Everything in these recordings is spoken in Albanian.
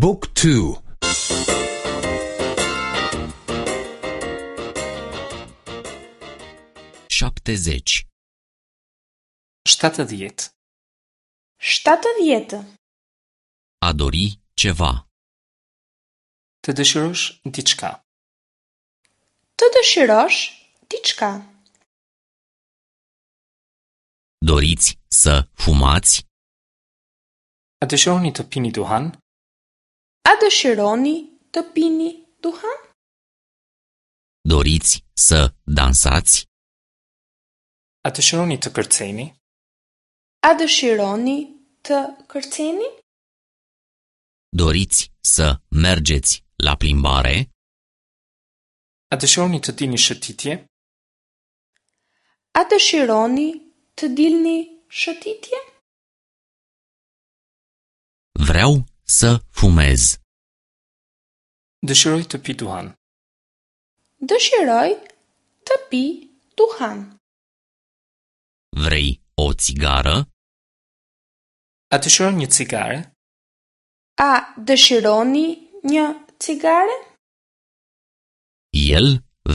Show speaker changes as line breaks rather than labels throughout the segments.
บุ๊กทู
70.
70.
70.
A dori ceva.
Të dëshirosh diçka.
Të dëshirosh diçka.
Doriți să fumați?
A dëshironi të pini duhan?
A dëshironi të pini duhan?
Doriți să dansați?
A dëshironi të kërceni?
A dëshironi të kërceni?
Doriți să mergeți la plimbare?
A dëshironi të dilni shëtitje?
A dëshironi të dilni shëtitje?
Vreau să fumez.
Dëshiroj të pi duhan.
Dëshiroj të pi duhan.
Vrei o țigară?
A dëshiron një cigare?
A dëshironi një cigare?
El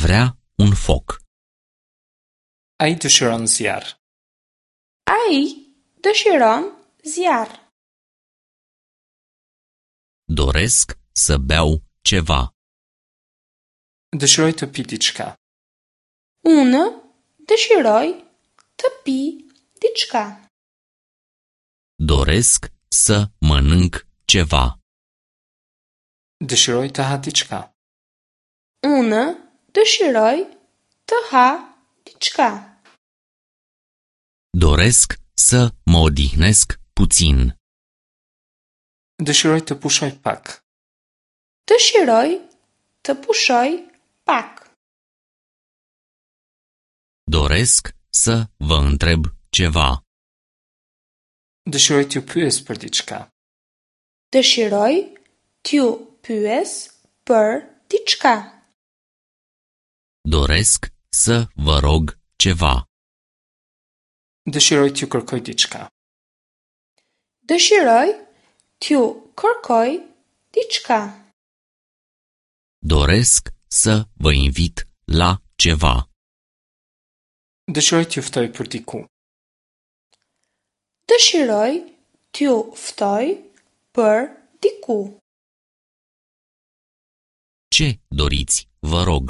vrea un foc.
Ai dëshiron zjarr.
Ai dëshiron zjarr.
Doresc să beau ceva.
Dëshiroj të pi diçka.
Unë dëshiroj të pi diçka.
Doresc să mănânc ceva.
Dëshiroj të ha diçka.
Unë dëshiroj të ha diçka.
Doresc să mă odihnesc puțin.
Dëshiroj të pushoj pak.
Dëshiroj të pushoj pak.
Doresc să vă întreb ceva.
Dëshiroj t'ju pyes për diçka.
Dëshiroj t'ju pyes për diçka.
Doresc să vă rog ceva.
Dëshiroj t'ju kërkoj diçka.
Dëshiroj t'ju kërkoj diçka.
Doresc să vă invit la ceva.
Dëshiroj t'ju ftoj për diku.
Dëshiroj t'ju ftoj për diku.
Ce doriți, vă rog?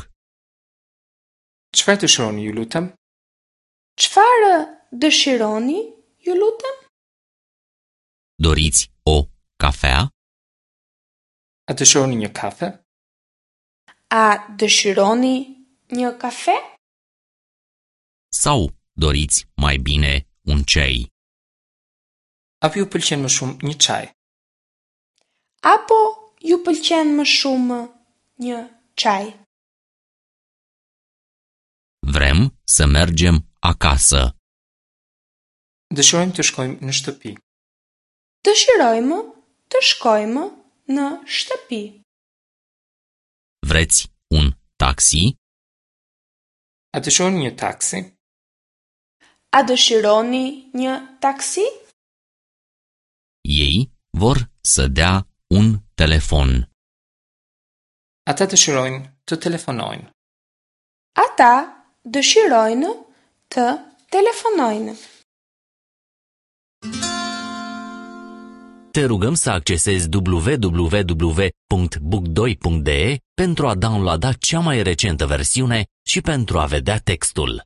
Çfarë dëshironi, ju lutem?
Çfarë dëshironi, ju lutem?
Doriți o cafea?
A dëshironi një kafe?
A dëshironi një kafe?
Sau doriți mai bine un ceai?
Apo ju pëlqen më shumë një çaj?
Apo ju pëlqen më shumë një çaj?
Vrem să mergem acasă.
Dëshirojmë të shkojmë në shtëpi.
Dëshirojmë të shkojmë në shtëpi.
Vreți un taxi?
A dëshironi një taksi?
A dëshironi një taksi?
Ei vor să dea un telefon.
Ata dëshirojnë të telefonojnë.
Ata dëshirojnë të telefonojnë.
Te rugăm să accesezi www.book2.de pentru a downloada cea mai recentă versiune și pentru a vedea textul.